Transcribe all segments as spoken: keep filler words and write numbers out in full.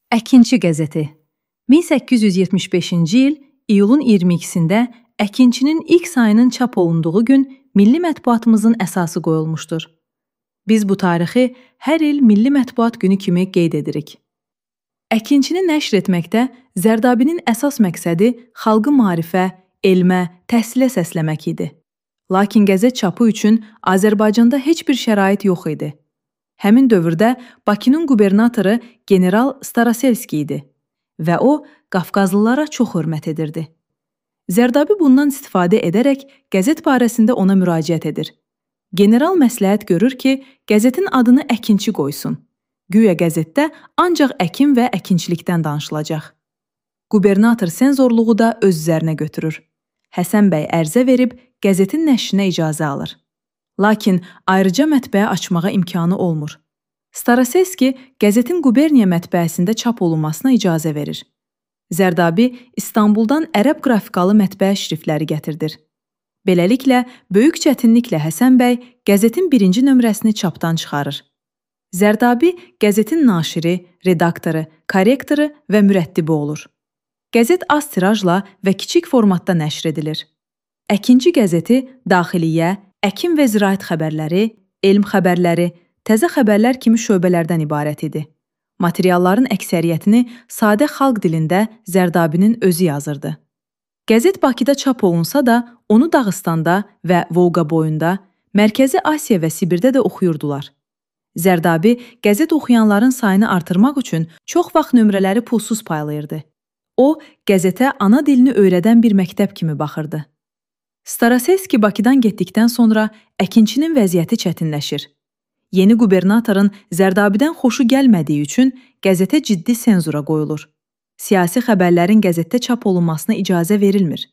Əkinçi qəzeti. min səkkiz yüz yetmiş beşinci il iyulun iyirmi ikisində Əkinçinin ilk sayının çap olunduğu gün milli mətbuatımızın əsası qoyulmuşdur. Biz bu tarixi hər il Milli Mətbuat Günü kimi qeyd edirik. Əkinçini nəşr etməkdə Zərdabinin əsas məqsədi xalqı maarifə, elmə, təhsilə səsləmək idi. Lakin qəzet çapı üçün Azərbaycanda heç bir şərait yox idi. Həmin dövrdə Bakının qubernatoru general Staraselski idi və o, Qafqazlılara çox hörmət edirdi. Zərdabi bundan istifadə edərək qəzet barəsində ona müraciət edir. General məsləhət görür ki, qəzetin adını Əkinçi qoysun. Güya qəzetdə ancaq əkin və əkinçilikdən danışılacaq. Qubernator senzorluğu da öz üzərinə götürür. Həsən bəy ərizə verib qəzetin nəşrinə icazə alır. Lakin ayrıca mətbəə açmağa imkanı olmur. Staraselski qəzetin quberniya mətbəəsində çap olunmasına icazə verir. Zərdabi İstanbuldan ərəb qrafikalı mətbəə şriftləri gətirdir. Beləliklə, böyük çətinliklə Həsən bəy qəzetin birinci nömrəsini çapdan çıxarır. Zərdabi qəzetin naşiri, redaktoru, korrektoru və mürəttibi olur. Qəzet az tirajla və kiçik formatda nəşr edilir. Əkinçi qəzeti daxiliyyə, əkin və ziraət xəbərləri, elm xəbərləri, təzə xəbərlər kimi şöbələrdən ibarət idi. Materialların əksəriyyətini sadə xalq dilində Zərdabinin özü yazırdı. Qəzet Bakıda çap olunsa da, onu Dağıstanda və Volqa boyunda, Mərkəzi Asiya və Sibirdə də oxuyurdular. Zərdabi qəzet oxuyanların sayını artırmaq üçün çox vaxt nömrələri pulsuz paylayırdı. O, qəzetə ana dilini öyrədən bir məktəb kimi baxırdı. Staraselski Bakıdan getdikdən sonra Əkinçinin vəziyyəti çətinləşir. Yeni qubernatorun Zərdabidən xoşu gəlmədiyi üçün qəzetə ciddi senzura qoyulur. Siyasi xəbərlərin qəzetdə çap olunmasına icazə verilmir.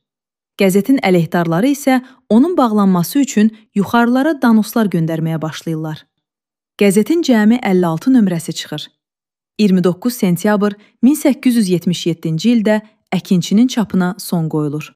Qəzetin əleyhdarları isə onun bağlanması üçün yuxarılara danoslar göndərməyə başlayırlar. Qəzetin cəmi əlli altı nömrəsi çıxır. iyirmi doqquz sentyabr min səkkiz yüz yetmiş yeddinci ildə Əkinçinin çapına son qoyulur.